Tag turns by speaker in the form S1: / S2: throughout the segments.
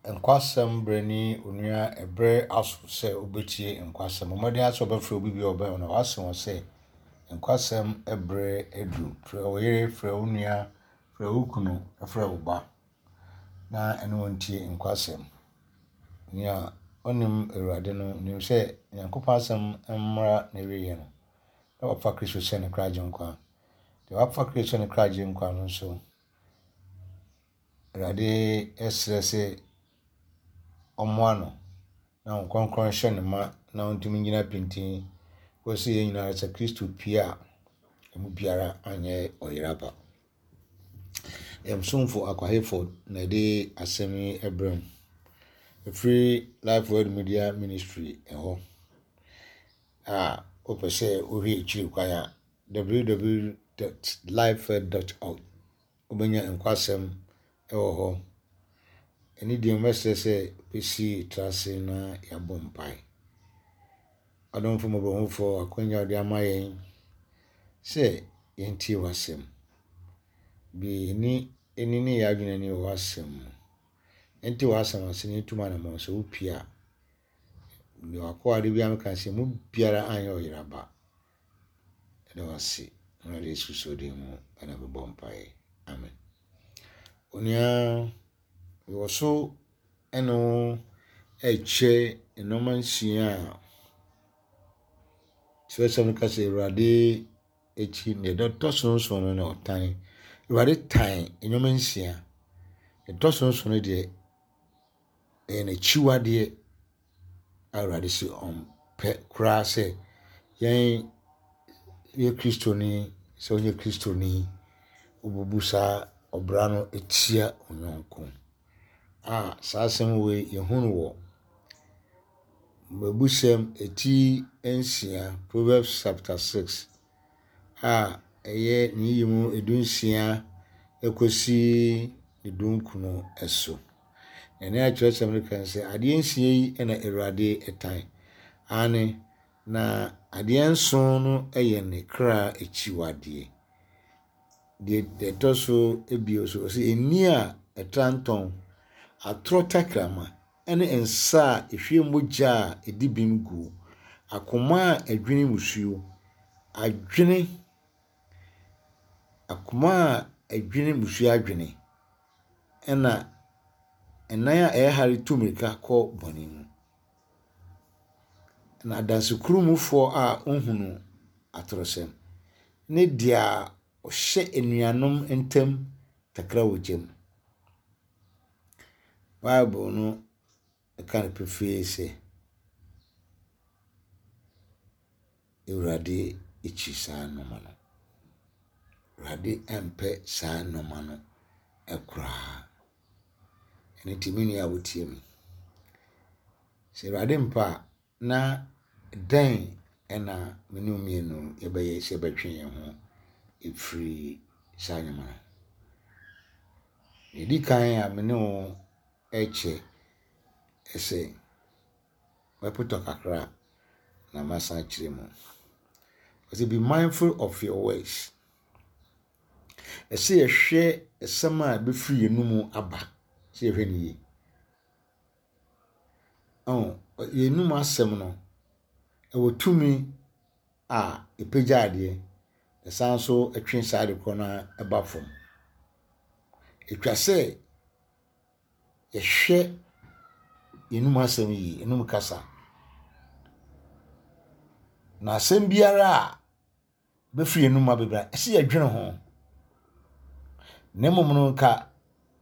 S1: Nkwasɛm berɛ ni onua ɛberɛ aso sɛ wobɛtie nkwasɛm. Bɔ mmɔden ara sɛ wobɛfrɛ obi bi a ɔbɛn wo na wase wɔn sɛ nkwasɛm berɛ aduru. Frɛ wo yere, frɛ wo nua, frɛ wo kunu, frɛ wo ba na ɛne wɔn ntie nkwasɛm. Nea ɔnim Awurade no nim sɛ Nyankopɔn asɛm mmra n'awieɛ no, na wafa Kristo sɛ ne kra agyenkwa. Deɛ wafa Kristo sɛ ne kra agyenkwa no nso, Awurade srɛ sɛ ɔmmoa no na Honhom Kronkron nhyɛ no ma na ɔntumi nnyina pintinn kɔsi yɛn nyinaa sɛ Kristo pue a, emu biara anyɛ ɔyera pa. Yɛn somfo Akwa Hayford na ɛde asɛm yi brɛ mu. Ɛfiri Life Word Media Ministry ɛhɔ a wopɛ sɛ wohwɛ akyiri kwan a www.lifeword.org wobɛnya nkwasɛm wɔ hɔ. Ɛno deɛ mɛsrɛ sɛ bɛsi tra ase na yɛabɔ mpae. Adomfo mmɔborɔhufoɔ, akwanya a wode ama yɛn sɛ yɛntie w'asɛm. Bue yɛn ani ne yɛn adwene ani wɔ w'asɛm mu. Yɛnte w'asɛm ase na yɛntu mu anammɔn sɛ wopue a, deɛ w'akoa de biara meka sɛ mu biara anyɛ ɔyera ba. Yɛda wo ase Awurade Yesu Kristo din mu na mebɔ mpaeɛ. Amen. Onua, mewɔ so ɛne wo ɛkyɛ nneɛma nsia a kyerɛsɛm no ka sɛ Awurade akyi deɛ ɛtɔ so nson no na ɔtan. Awurade tan nneɛma nsia. Ɛtɔ so nson no deɛ ɛyɛ n'akyiwadeɛ a Awurade se ɔmpɛ koraa sɛ yɛn yɛ Kristoni, sɛ wonyɛ Kristoni, wobubu saa ɔbra no tia wo yɔnko. A saa asɛm wei yɛhu no wɔ Mmebusɛm eti nsia, Proverbs chapter 6, a ɛyɛ ne yi mu edunsia kɔsi ne dunkron so. Na nea kyerɛwsɛm no ka ne sɛ, adeɛ nsia yi na Awurade tan. Aane, na adeɛ nson no yɛ ne kra akyiwadeɛ. Deɛ ɛtɔ so bio nso, ɔse ani a ɛtra ntɔn, atorɔ tɛkrɛma ne nsa a ɛhwie mogya a ɛdi bem guo, akoma a ɛdwene mmusuo, adwene, akoma a ɛdwene mmusuo adwene. Ɛnna nan a ɛyɛ hare tu mmirika kɔ bɔne mu. Na adansekurumufoɔ a ɔhunu atorɔsɛm ne deɛ ɔhyɛ anuanom ntam takra wɔ gya mu. Bible no ka no pefee sɛ, Awurade kyi saa nnoɔma no. Awurade mpɛ saa nnoɔma no koraa. Ɛno nti me nua a wotie me, sɛ Awurade mpɛ a, na dɛn na me ne wo mmienu yɛbɛyɛ sɛ yɛbɛtwe yɛn ho afiri saa nneɛma no ho? Deɛ ɛdi kan a me ne wo rekyɛ sɛ mɛpotɔ kakra na masan akyerɛ mu. Ɔse be mindful of your words. Ɛsɛ yɛhwɛ ɛsɛm a ɛbɛfiri yɛn mu aba sɛ yɛhwɛ no yie. Ɔn, yɛn anum asɛm no, ɛwɔ tumi a ɛpagya adeɛ, ɛsan nso twe saa ade korɔ no ara ba fam. Ɛtwa sɛ yɛhwɛ yɛn anum asɛm yie, yɛn anum kasa. Na asɛm biara a ɛbɛfiri yɛn anum aba biara, ɛsɛ yɛdwene ho. Na mmom no nka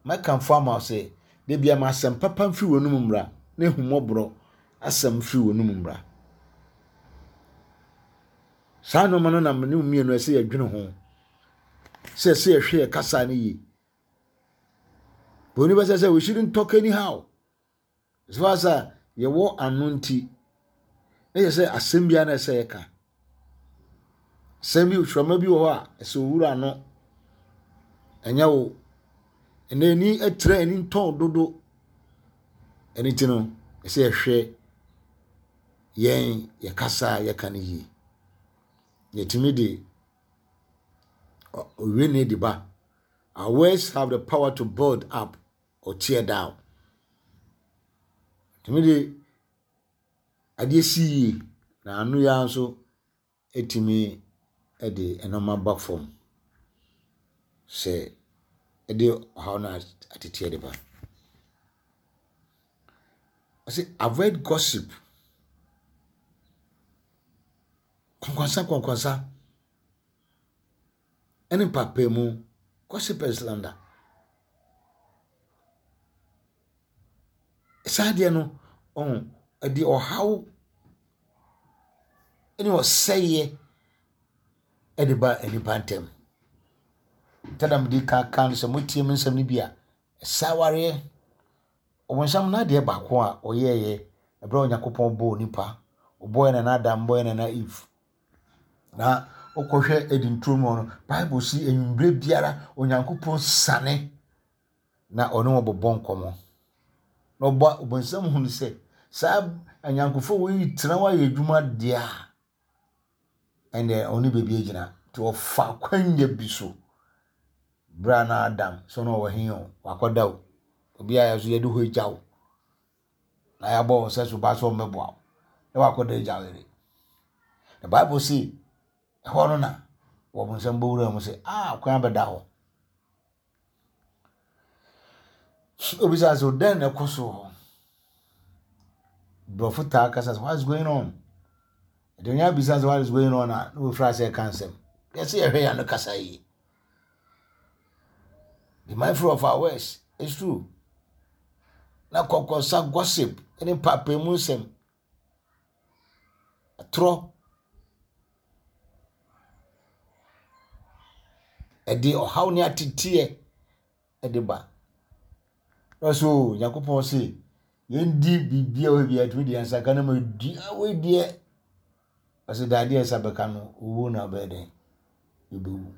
S1: mɛkamfo ama wo sɛ, da biara ma asɛm papa mfiri w'anum mmra, na ahummɔborɔ asɛm mfiri w'anum mmra. Saa nneɛma no na me ne wo mmienu ɛsɛ yɛdwene ho sɛ ɛsɛ yɛhwɛ yɛ kasa no yie. Buroni bɛsɛ sɛ we shouldn't talk anyhow. As far as a yɛwɔ ano nti, na yɛ sɛ asɛm biara na ɛsɛ yɛka. Asɛm bi hwɛma bi wɔ hɔ a ɛsɛ owura ano. Ɛnyɛ wo. Ɛnna ani ɛtrɛ ani ntɔn dodo. Ɛno ti no, ɛsɛ yɛhwɛ yɛn yɛkasa a yɛka no yie. Yɛtumi de owie ne de ba. Our words have the power to build up or tear down. Tumi de adeɛ si yie na ano yi ara nso tumi de nneɛma ba fam sɛ ɛde ɔhaw no ateteɛ de ba. Ɔse avoid gossip. Kɔnkɔnsa kɔnkɔnsa ɛne mpaapaemu, gossip and slander. Saa adeɛ no, ɔho, ɛde ɔhaw ne ɔsɛeɛ de ba nnipa ntam. Sɛdeɛ mede kan ka no sɛ motie me nsɛm no bi a, ɛsɛ awareɛ. Ɔbonsam n'adeɛ baako a ɔyɛeɛ ɛberɛ a Onyankopɔn bɔɔ nipa, ɔbɔɔ yɛn nana Adam, bɔɔ yɛn nana Eve. Na wokɔhwɛ Eden turo mu hɔ no, Bible si anwummerɛ biara Onyankopɔn sane na ɔne wɔn bɛbɔ nkɔmmɔ. Na ɔba ɔbonsam hunu sɛ saa anyankofoɔ wei retena hɔ ayɛ adwuma deɛ a, ɛnneɛ ɔne baabi agyina. Nti ɔfa akwanya bi so. Berɛ a na Adam sɛ ɔno ɔwɔ he o, wakɔda o. Obi a yɛso yɛde hɔ agya wo. Na yɛabɔ wo sɛ so ba sɛ ɔmmɛboa wo. Na wakɔda agya wo yere. Na Bible se ɛhɔ no na wɔbonsam bɔwura mu sɛ, ah, kwan abɛda hɔ. Obisa sɛ, dɛn na ɛkɔ so wɔ hɔ? Borɔfo taa kasa sɛ, what is going on? Ɛde onye abisa sɛ, what is going on a, na wɔfiri ase ɛka nsɛm. Yɛsɛ yɛhwɛ yɛn ano kasa yie. Be mindful of our words. It's true. Na kɔkɔsa gossip ne mpaapaemu nsɛm. Atorɔ. Ɛde ɔhaw ne ateteɛ de ba. Na ɔsɛ o Nyankopɔn se yɛndi biribi a ɔyɛ biara tumi de yɛn nsa ka na ma di wei deɛ ɔsɛ dadeɛ nsa bɛka no owuo na ɔbɛyɛ dɛn yɛbɛwu.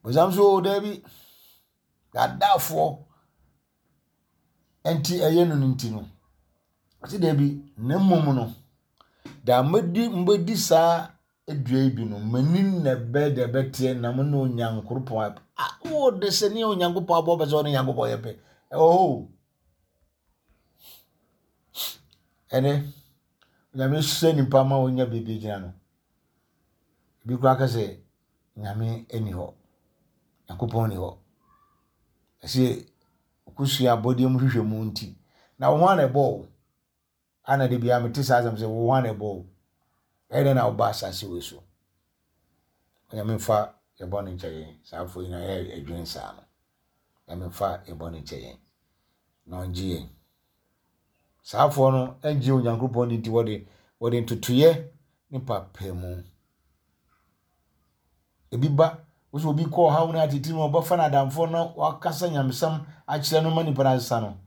S1: Bonsam so o daabi daadaafoɔ nti ɛyɛ no no nti no, ɔsi daabi na mmom no, da mɛdi mobɛdi saa dua yi bi no, m'ani na ɛbɛ deɛ ɛbɛteɛ na mo ne Onyankoropɔn ayɛ pɛ. Ah, wo de sɛ ne Onyankopɔn abɔ pɛ sɛ ɔne Nyankopɔn yɛ pɛ. Ɛwɔ hɔ o. Ɛnɛ, Onyame hyɛ nipa ma ɔnya baabi gyina no. Ebi koraa ka sɛ Nyame nni hɔ. Nyankopɔn nni hɔ. Ɛsɛ wokosua abɔdeɛ mu hwehwɛ mu nti. Na wo ho ana ɛbɔ wo? Ana de biara mete saa asɛm sɛ wo ho ana ɛbɔ wo? Ɛyɛ dɛn na woba asase wei so? Onyame mfa yɛ bɔne nkyɛ yɛn. Saa afo yi na yɛ adwene saa no. Nyame mfa yɛ bɔne nkyɛ yɛn. Na ɔngye yɛn. Saa afoɔ no ngye Onyankopɔn di nti wɔde wɔde ntotoeɛ ne mpaapaemu. Ebi ba, wosɛ obi kɔ ɔhaw no atete mu ɔbɛfa no adamfoɔ na wakasa nyamesɛm akyerɛ no ma nipa no asesa no.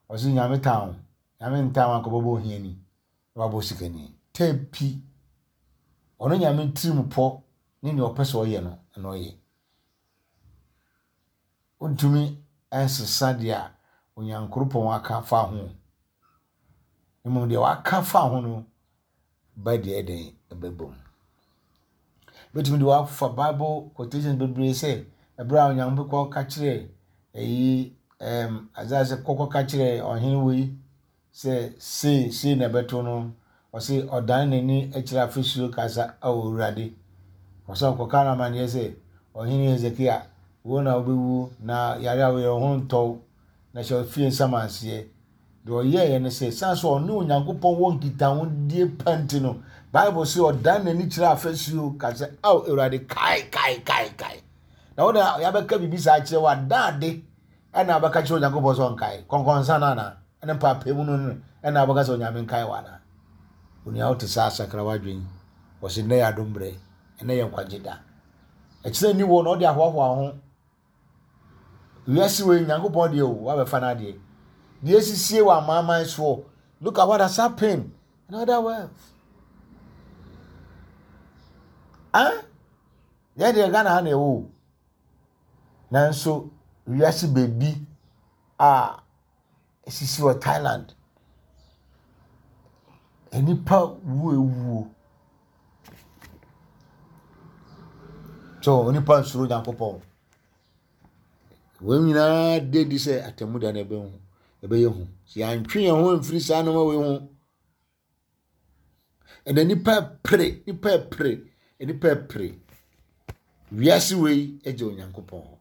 S1: Ɔse nyame tan wo. Nyame ntan wo anka ɔbɛbɔ ohiani na wabɔ sikani. Tɛpi. Ɔno nyame tirim pɔ ne nea ɔpɛ sɛ ɔyɛ no na ɔyɛ. Wontumi nsesa deɛ a Onyankoropɔn aka fa ho. Mmom deɛ waka fa ho no bɛ deɛ ɛdɛn ɛbɛbɔ mu. Bɛtumi de wafa Bible quotations bebree sɛ ɛberɛ a Onyankopɔn ka kyerɛ ɛyi ɛɛm Isaiah sɛ kɔkɔ ka kyerɛ ɔhene wei Sɛ sei, sei na ɛbɛto no. Ɔse ɔdan n'ani kyerɛ afasuo ka sɛ, Ao Awurade. Ɔsɛ ɔkɔka no amanneɛ sɛ, Ɔhene Hesekia, wo na wobɛwu, na yare a woyɛ wo ho ntɔ wo, na hyɛ wo fie nsamanseɛ. Deɛ ɔyɛeɛ ne sɛ, ɛsiane sɛ ɔne Onyankopɔn wɔ nkitahodie pa nti no, Bible se ɔdan n'ani kyerɛ afasuo ka sɛ, Ao Awurade, kae, kae, kae, kae. Na wo na yɛabɛka biribi saa akyerɛ wo a, dan ade ɛna wobɛka kyerɛ Onyankopɔn sɛ ɔnkae. Kɔnkɔnsa no anaa? Ɛne mpaapaemu no no ɛna wobɛka sɛ Onyame nkae wo anaa? Onua wote saa sakra w'adwen. Wɔse nnɛ yɛ adom berɛ, ɛnɛ yɛ nkwagye da. Ɛkyerɛ nni wɔ na ɔde ahoahoa ho. Wiase wei Nyankopɔn deɛ o, wabɛfa no adeɛ. Deɛ esisie wɔ amanaman soɔ. Look at what has happened in other worlds. Ah? Yɛn deɛ Ghana ha na ɛwɔ o. Nanso wiase baabi a esisi wɔ Thailand. Nnipa wu awuo. So onipa nsuro Nyankopɔn. Wɔn nyinaa da adi sɛ atemmuda no ɛbɛn ho. Ɛbɛyɛ hu. Sɛ yɛantwe yɛn ho amfiri saa nneɛma wei ho. Ɛnna nipa pere, nipa pere, nipa pere. Wiase wei gye Onyankopɔn hɔ.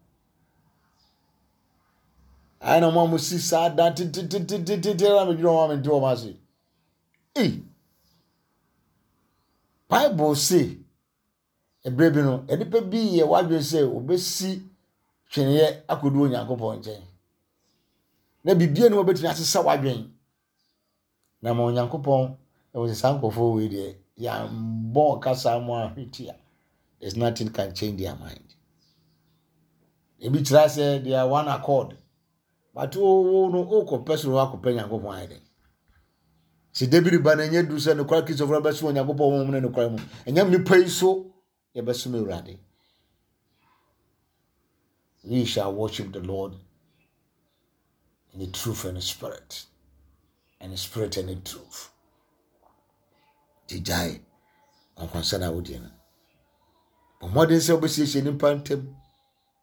S1: Ayɛ na wɔn a wɔsi saa dan tententententen na medwene wɔn a mente wɔn ase. Ei! Bible se, ɛberɛ bi no, nnipa bi yɛ w'adwene sɛ wɔbɛsi tweneɛ akɔdu Onyankopɔn nkyɛn. Na biribiara ni wɔbɛtumi asesa w'adwene. Na ma Onyankopɔn ɛwɔ sɛ saa nkurɔfoɔ wei deɛ yɛambɔ kasa mu ahwetia. There's nothing can change their mind. Ebi kyerɛ sɛ they are one accord. But wo wo no wokɔpɛ soro akɔpɛ Nyankopɔn ayɛ dɛn? Sɛ David ba no ɛnyɛ duru sɛ nokware Kristofo no bɛsom Onyankopɔn honhom ne nokware mu. Ɛnyɛ mmepɔ yi so yɛbɛsom Awurade. We shall worship the Lord in the truth and the spirit. And the spirit and the truth. Nti gyae nkwankwansa na wodie no. Bɔ mmɔden sɛ wobɛsiesie nnipa ntam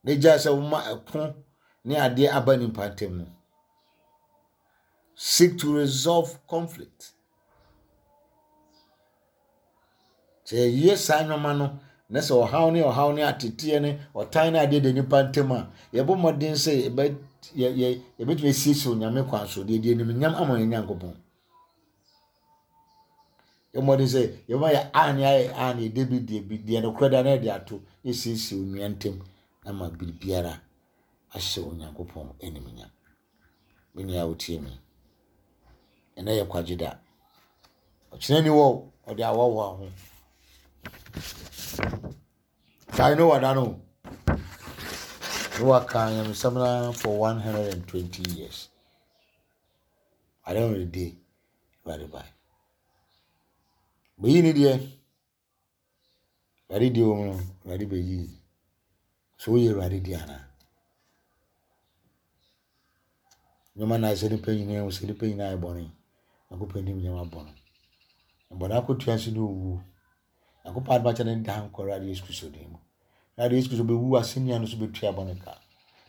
S1: na gyae sɛ woma ɛko ne adeɛ aba nnipa ntam no. Seek to resolve conflict. Sɛ yɛyɛ saa nneɛma no na sɛ ɔhaw ne ɔhaw ne ateteɛ ne ɔtan ne adeɛ da nnipa ntam a, yɛbɔ mmɔden sɛ yɛbɛ yɛ yɛ yɛbɛtumi asiesie Onyame kwan so deɛ deɛ animuonyam ama yɛn Nyankopɔn. Yɛ mmɔden sɛ yɛbɛma yɛ a ne ayɛ a ne yɛde bi deɛ bi deɛ nokorɛ da na yɛde ato na yɛsiesie onua ntam ama biribiara ahyɛ Onyankopɔn animuonyam. Me nua a wotie me, ɛnɛ yɛ kwagye da. Ɔkyena ni wɔ ɔde awɔwoa ho. Kae Noah da no. Noah kaa nyamesɛm no for 120 years. At the end of the day, Awurade bae. Bɛyi ne deɛ. Awurade deɛ wɔ mu no, Awurade bɛyi. So woyɛ Awurade deɛ anaa? Nneɛma na sɛ nipa nyinaa hu sɛ nipa nyinaa yɛ bɔne. Nyankopɔn nim nneɛma bɔne. Bɔne akotua nso ne owuo. Nyankopɔn adom akyɛ ne daa nkwa Awurade Yesu Kristo din mu. Awurade Yesu Kristo bɛwu asɛnnua no so bɛtua bɔne ka.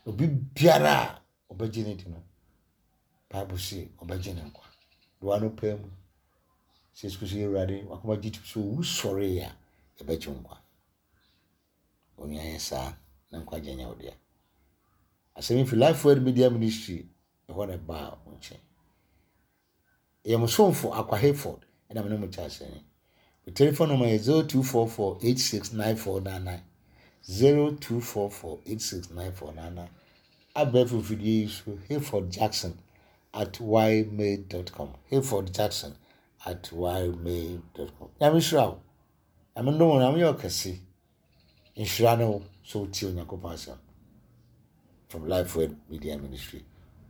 S1: Obi biara a ɔbɛgye ne di no, Bible se ɔbɛgye ne nkwa. Doa no paa mu. Sɛ Yesu Kristo yɛ Awurade, wakoma gye to so owu sɔre a, yɛbɛgye nkwa. Onua yɛ saa na nkwagye nyɛ wo dea. Asɛm yi fi Life Word Media Ministry ɛhɔ na ɛbaa wo nkyɛn. Ɛyɛ mo somfo Akwa Hayford ɛna me ne mo kyɛ asɛm yi. Me telephone number yɛ 0244869499 0244869499 abɛɛfo mfidie yi so Hayford Jackson at ymail.com Hayford Jackson at ymail.com Nyame hyira wo. Nyame ndom wo, Nyame yɛ ɔkɛse. Nhyira ne wo sɛ wotie Onyankopɔn asɛm. From Life Word Media Ministry.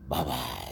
S1: Bye bye.